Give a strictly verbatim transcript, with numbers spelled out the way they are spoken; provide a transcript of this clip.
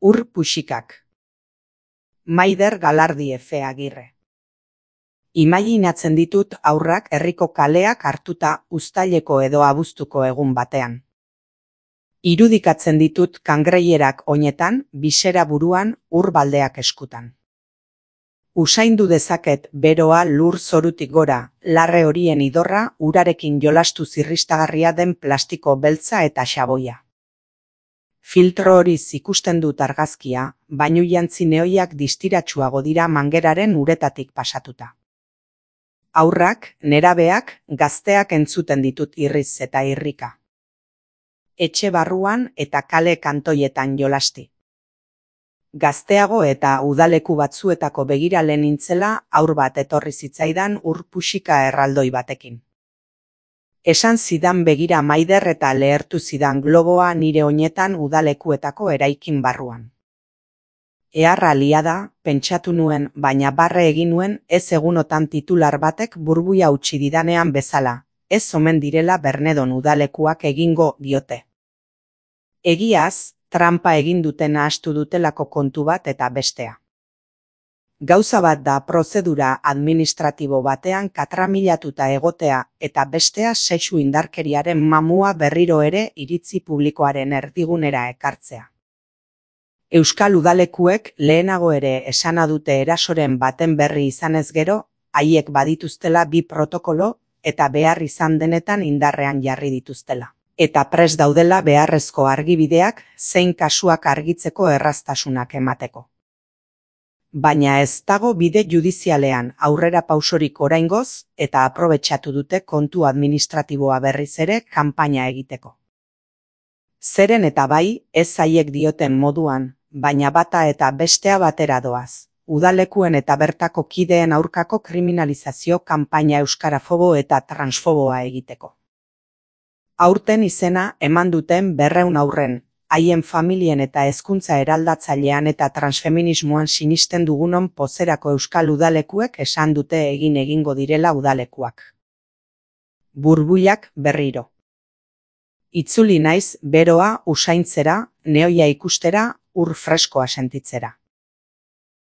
Ur puxikak. Maider Galardi Efe Agirre. Imaginatzen ditut haurrak herriko kaleak hartuta uztaileko edo abuztuko egun batean. Irudikatzen ditut kangreierak oinetan, bisera buruan, ur baldeak eskutan. Usaindu dezaket beroa lur zorutik gora, larre horien idorra urarekin jolastu zirristagarria den plastiko beltza eta xaboia. Filtro horiz ikusten dut argazkia, bainu jantzi nehoiak distiratsuago dira mangeraren uretatik pasatuta. Haurrak, nerabeak, gazteak entzuten ditut irriz eta irrika. Etxe barruan eta kale kantoietan jolasti. Gazteago eta udaleku batzuetako begirale nintzela haur bat etorri zitzaidan ur puxika erraldoi batekin. Esan zidan begira Maider eta lehertu zidan globoa nire oinetan udalekuetako eraikin barruan. Eharra lia da, pentsatu nuen, baina barre egin nuen ez egunotan titular batek burbuia utzi didanean bezala, ez omen direla Bernedon udalekuak egingo diote. Egiaz, trampa egin duten ahastu dutelako kontu bat eta bestea. Gauza bat da prozedura administratibo batean katramilatuta egotea eta bestea sexu indarkeriaren mamua berriro ere iritzi publikoaren erdigunera ekartzea. Euskal udalekuek lehenago ere esana dute erasoren baten berri izanez gero, haiek badituztela bi protokolo eta behar izan denetan indarrean jarri dituztela. Eta prest daudela beharrezko argibideak zein kasuak argitzeko erraztasunak emateko. Baina ez dago bide judizialean aurrera pausorik oraingoz eta aprobetxatu dute kontu administratiboa berriz ere kanpaina egiteko. Zeren eta bai, ez haiek dioten moduan, baina bata eta bestea batera doaz. Udalekuen eta bertako kideen aurkako kriminalizazio kanpaina euskarafobo eta transfoboa egiteko. Aurten izena eman duten berrehun haurren, haien familien eta hezkuntza eraldatzailean eta transfeminismoan sinisten dugunon pozerako euskal udalekuek esan dute egin egingo direla udalekuak. Burbuilak berriro. Itzuli naiz beroa usaintzera, nehoia ikustera, ur freskoa sentitzera.